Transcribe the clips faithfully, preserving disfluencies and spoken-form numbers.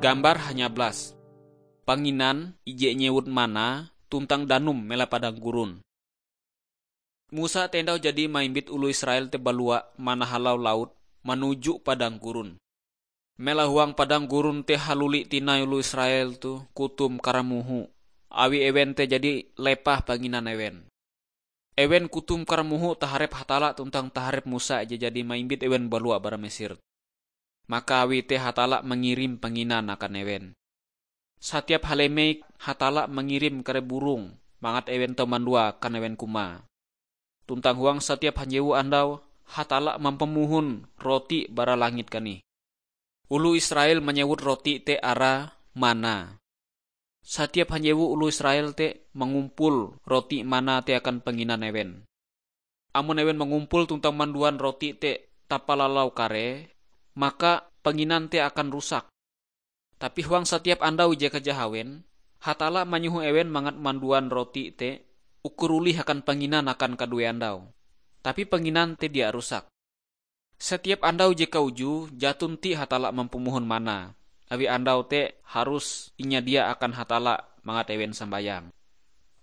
Gambar hanyablas. Panginan ije nyewut mana tuntang danum mela padang gurun. Musa teh andau jadi maimbit oloh Israel te balua manahalau laut manuju padang gurun. Mela huang padang gurun te haluli tinai oloh Israel toh kutum karamuhu, awi ewen te jadi lepah panginan ewen. Ewen kutum karamuhu taharep Hatalla tuntang taharep Musa je jadi maimbit ewen balua bara Mesir. Maka awi te Hatalla mangirim panginan akan ewen. Satiap halemei Hatalla mangirim kare burong mangat ewen tau mandua akan ewen kumae. Tuntang huang satiap hanjewu andau, Hatalla mampamohon roti bara langit kanih. Oloh Israel manyewut roti te arae mana. Satiap hanjewu oloh Israel te mangumpul roti mana te akan panginan ewen. Amon ewen mangumpul tuntang manduan roti te tapalalau karee, maka panginan te akan rusak. Tapi huang satiap andau ije kajahawen, Hatalla manyoho ewen mangat manduan roti te ukur olih akan panginan akan kaduee andau. Tapi panginan te dia rusak. Satiap andau ije kaujue jaton ti Hatalla mampamohon mana, awi andau te harus inyadia akan Hatalla mangat ewen sambayang.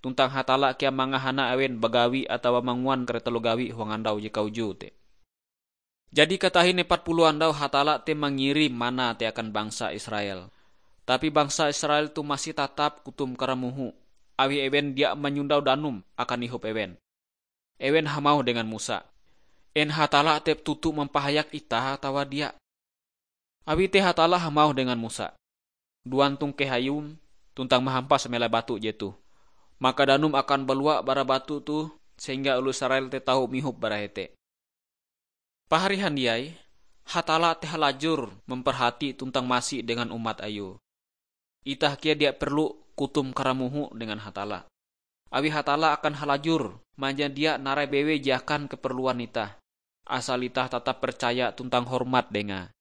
Tuntang Hatalla kea mangahana ewen bagawi atawa manguan kare taloh gawi huang andau ije kaujue te. Jadi katahin epat puluh andau Hatalla te mangirim mana te akan bangsa Israel. Tapi bangsa Israel toh masih tatap kutum karamuhu, awi ewen dia manyondau danum akan ihop ewen. Ewen hamauh dengan Musa, "En Hatalla te toto mampahayak itah atawa dia?" Awi te Hatalla hamauh dengan Musa, "Duan tongkeh ayum tuntang mahampas melai batu jetoh. Maka danum akan balua bara batu toh sehingga oloh Israel te tau mihop bara hete." Pahari handiai, Hatalla te halajur memperhati tuntang masi dengan umat Ayue. Itah kea dia perlu kutum karamuhu dengan Hatalla. Awi Hatalla akan halajur manjadia narai bewei je akan keperluan itah, asal itah tatap percaya tuntang hormat Dengae.